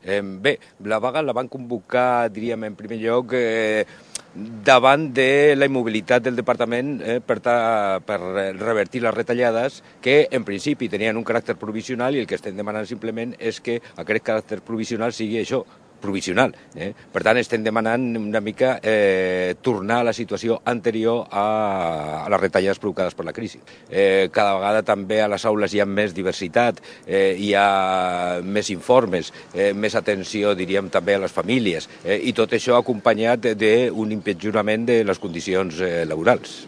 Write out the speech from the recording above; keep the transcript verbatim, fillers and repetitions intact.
Eh, bé, la vaga la van convocar, diríem, en primer lloc, eh, davant de la immobilitat del departament eh, per, ta, per revertir les retallades que en principi tenien un caràcter provisional i el que estem demanant simplement és que aquest caràcter provisional sigui això, provisional. Eh? Per tant, estem demanant una mica eh, tornar a la situació anterior a, a les retallades provocades per la crisi. Eh, cada vegada també a les aules hi ha més diversitat, eh, hi ha més informes, eh, més atenció, diríem, també a les famílies, eh, i tot això acompanyat d'un empitjorament de les condicions eh, laborals.